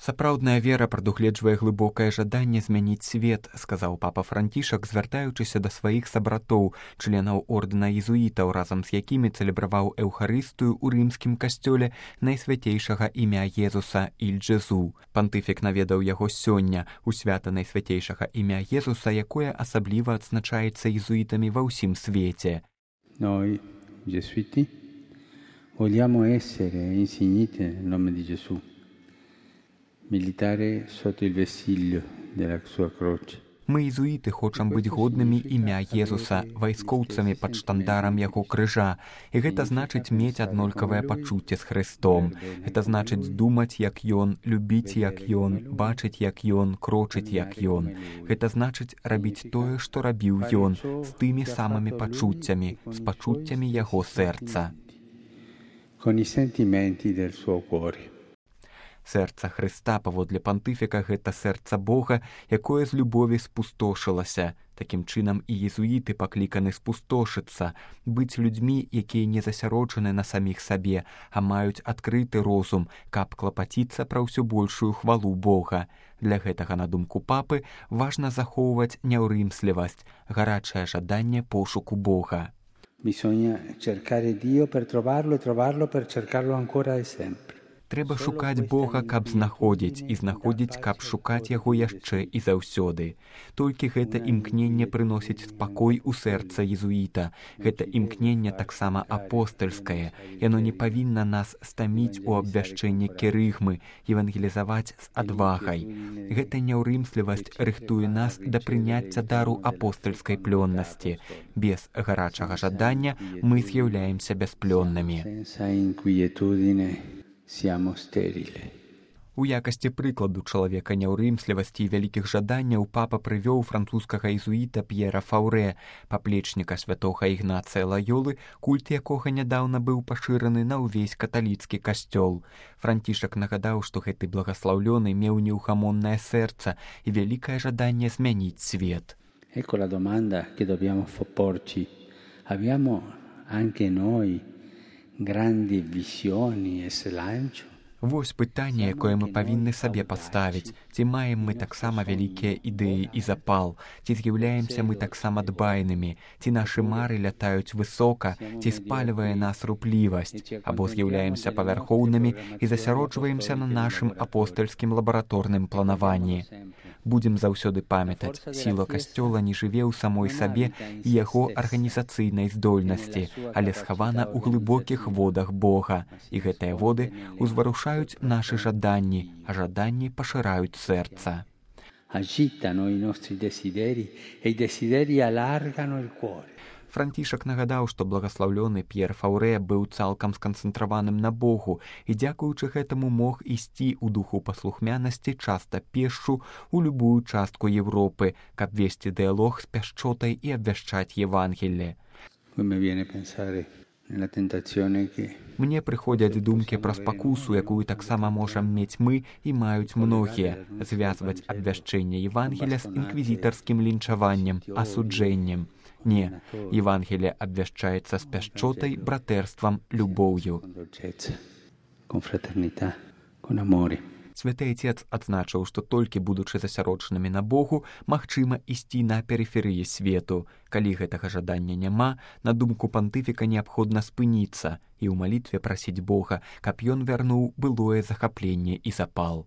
Сапраўдная вера прадугледжвае глыбокае жаданне змяніць свет, сказаў папа Францішак, звяртаючыся да сваіх сабратоў, членаў ордэна езуітаў, разам з якімі цэлебраваў эўхарыстыю ў рымскім касцёле найсвяцейшага імя Езуса Іль-Джезу. Пантыфік наведаў яго сёння у свята найсвяцейшага імя Езуса, якое асабліва адзначаецца езуітамі ва ўсім свеце. Noi, gesuiti, vogliamo essere insigniti nel nome di Gesù. Militare sotto il vessillo della sua croce. Мы, езуіты, хочам быць годнымі імя Езуса, вайскоўцамі пад штандарам яго крыжа. І гэта значыць мець аднолькавае пачуцце з Хрыстом. Гэта значыць думаць, як Ён, любіць, як Ён, бачыць, як Ён, крочыць, як Ён. Гэта значыць рабіць тое, што рабіў Ён, з тымі самымі пачуццямі, з пачуццямі яго сэрца. Con i sentimenti del suo cuore. Сэрца Хрыста, паводле пантыфіка, гэта сэрца Бога, якое з любові спустошылася. Такім чынам і езуіты пакліканы спустошыцца, быць людзьмі, якія не засяроджаны на саміх сабе, а маюць адкрыты розум, каб клапаціцца пра ўсё большую хвалу Бога. Для гэтага, на думку папы, важна захоўваць няўрымслівасць, гарачае жаданне пошуку Бога. Bisogna cercare Dio per trovarlo e trovarlo per cercarlo ancora e sempre. Трэба шукаць Бога, каб знаходзіць, і знаходзіць, каб шукаць яго яшчэ і заўсёды. Толькі гэта імкненне прыносіць спакой у сэрца езуіта. Гэта імкненне таксама апостальскае. Яно не павінна нас стаміць у абвяшчэнні керыгмы, евангелізаваць з адвагай. Гэта няўрымслівасць рыхтуе нас да прыняцця дару апостальскай плённасці. Без гарачага жадання мы з'яўляемся бясплённымі. У якасці прыкладу чалавека няўрымслівасці і вялікіх жаданняў папа прывёў французскага езуіта П'ера Фаўрэ, паплечніка святога Ігнацыя Лаёлы, культ якога нядаўна быў пашыраны на ўвесь каталіцкі касцёл. Францішак нагадаў, што гэты благаслаўлёны меў неўхамоннае сэрца і вялікае жаданне змяніць свет. Ecco la domanda che dobbiamo porci. Abbiamo anche noi grandi visioni e slancio? Вось пытанне, якое мы павінны сабе паставіць. Ці маем мы таксама вялікія ідэі і запал? Ці з'яўляемся мы таксама дбайнымі? Ці нашы мары лятаюць высока? Ці спальвае нас руплівасць? Або з'яўляемся павярхоўнымі і засяроджваемся на нашым апостальскім лабараторным планаванні? Будзем заўсёды памятаць, сіла касцёла не жыве ў самой сабе і яго арганізацыйнай здольнасці, але схавана ў глыбокіх водах Бога. І гэтыя воды узварушаюць нашы жаданні, а жаданні пашыраюць сэрца. Agitano i nostri desideri e i desideri allargano il cuore. Францішак нагадаў, што благаслаўлёны П'ер Фаўрэ быў цалкам сканцэнтраваным на Богу і дзякуючы гэтаму мог ісці ў духу паслухмянасці часта пешшу ў любую частку Европы, каб весці дыялог з пяшчотай і абвяшчаць Евангелле. Мне прыходзяць думкі пра спакусу, якую таксама можам мець мы і маюць многія, звязваць абвяшчэнне Евангеля з інквізітарскім лінчаваннем, асуджэннем. Не, Евангелие абвяшчаецца з пяшчотай, братэрствам, любоўю. Святы Айцец адзначыў, што толькі будучы засяроджанымі на Богу, магчыма ісці на перыферыі свету. Калі гэтага жадання няма, на думку пантыфіка неабходна спыніцца і ў малітве прасіць Бога, каб ён вярнуў былое захапленне і запал.